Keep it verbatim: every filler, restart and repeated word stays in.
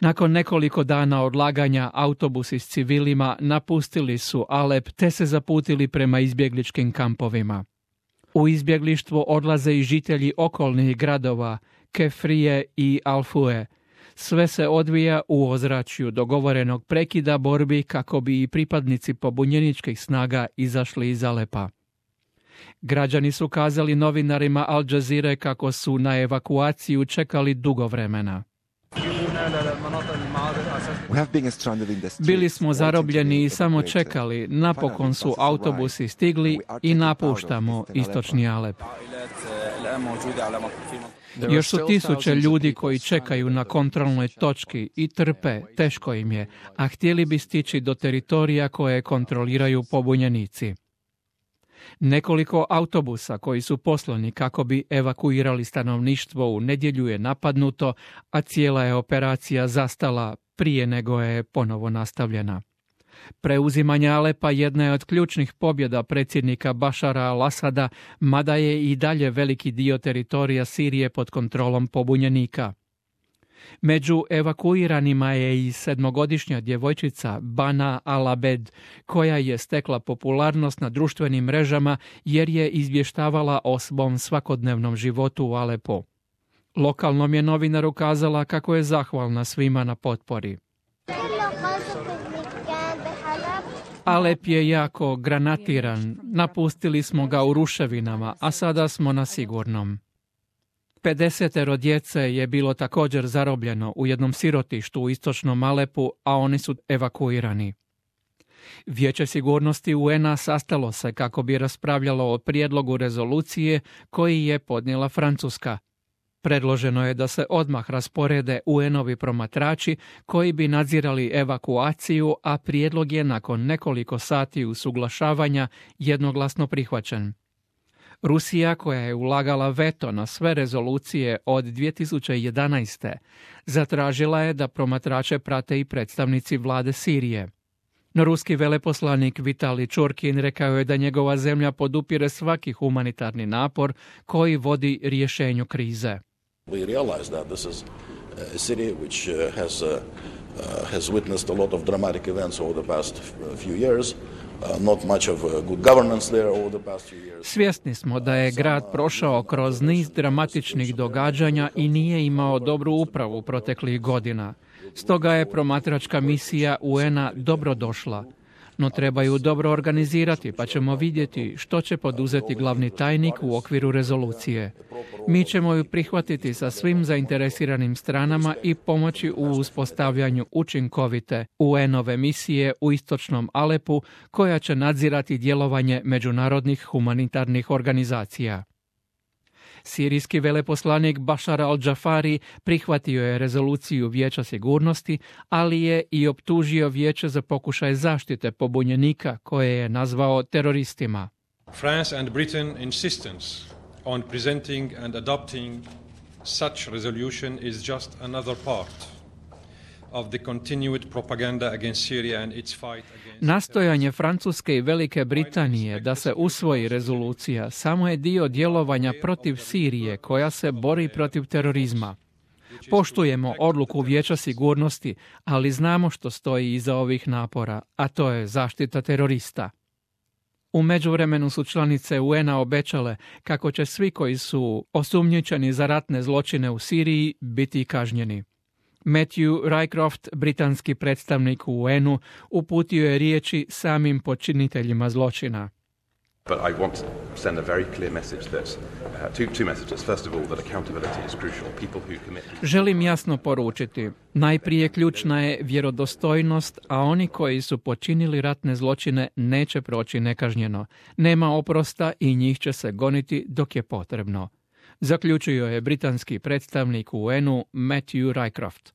Nakon nekoliko dana odlaganja, autobusi s civilima napustili su Alep te se zaputili prema izbjegličkim kampovima. U izbjeglištvo odlaze i žitelji okolnih gradova Kefrije i Alfue. Sve se odvija u ozračju dogovorenog prekida borbi kako bi i pripadnici pobunjeničkih snaga izašli iz Alepa. Građani su kazali novinarima Al Jazeere kako su na evakuaciju čekali dugo vremena. Bili smo zarobljeni i samo čekali, napokon su autobusi stigli i napuštamo istočni Alep. Još su tisuće ljudi koji čekaju na kontrolnoj točki i trpe, teško im je, a htjeli bi stići do teritorija koje kontroliraju pobunjenici. Nekoliko autobusa koji su poslani kako bi evakuirali stanovništvo u nedjelju je napadnuto, a cijela je operacija zastala prije nego je ponovo nastavljena. Preuzimanje Alepa jedna je od ključnih pobjeda predsjednika Bašara al-Asada, mada je i dalje veliki dio teritorija Sirije pod kontrolom pobunjenika. Među evakuiranima je i sedmogodišnja djevojčica Bana al-Abed, koja je stekla popularnost na društvenim mrežama jer je izvještavala o svom svakodnevnom životu u Alepu. Lokalnom je novinaru kazala kako je zahvalna svima na potpori. Alep je jako granatiran, napustili smo ga u ruševinama, a sada smo na sigurnom. pedesetero djece je bilo također zarobljeno u jednom sirotištu u istočnom Alepu, a oni su evakuirani. Vijeće sigurnosti U N-a sastalo se kako bi raspravljalo o prijedlogu rezolucije koji je podnijela Francuska. Predloženo je da se odmah rasporede U N-ovi promatrači koji bi nadzirali evakuaciju, a prijedlog je nakon nekoliko sati usuglašavanja jednoglasno prihvaćen. Rusija, koja je ulagala veto na sve rezolucije od dvije tisuće jedanaeste. zatražila je da promatrače prate i predstavnici vlade Sirije. No ruski veleposlanik Vitali Čurkin rekao je da njegova zemlja podupire svaki humanitarni napor koji vodi rješenju krize. We realize that this is a city which uh, has uh, uh, has witnessed a lot of dramatic events over the past few years. Uh, not much of uh, good governance there over the past few years. Svjesni smo da je grad prošao kroz niz dramatičnih događanja i nije imao dobru upravu proteklih godina. Stoga je promatračka misija U N-a dobro došla. No trebaju dobro organizirati, pa ćemo vidjeti što će poduzeti glavni tajnik u okviru rezolucije. Mi ćemo ju prihvatiti sa svim zainteresiranim stranama i pomoći u uspostavljanju učinkovite U N-ove misije u istočnom Alepu, koja će nadzirati djelovanje međunarodnih humanitarnih organizacija. Sirijski veleposlanik Bashar al-Jafari prihvatio je rezoluciju Vijeća sigurnosti, ali je i optužio Vijeće za pokušaj zaštite pobunjenika koje je nazvao teroristima. France and Britain insistence on presenting and adopting such resolution is just another part of the continued propaganda against Syria and its fight against... Nastojanje Francuske i Velike Britanije da se usvoji rezolucija samo je dio djelovanja protiv Sirije koja se bori protiv terorizma. Poštujemo odluku Vijeća sigurnosti, ali znamo što stoji iza ovih napora, a to je zaštita terorista. U međuvremenu su članice U N-a obećale kako će svi koji su osumnjičeni za ratne zločine u Siriji biti kažnjeni. Matthew Rycroft, britanski predstavnik u U N-u, uputio je riječi samim počiniteljima zločina. But I want to send a very clear message that uh, two, two messages. First of all, that accountability is crucial. People who commit... Želim jasno poručiti. Najprije ključna je vjerodostojnost, a oni koji su počinili ratne zločine neće proći nekažnjeno. Nema oprosta i njih će se goniti dok je potrebno. Zaključio je britanski predstavnik u U N-u Matthew Rycroft.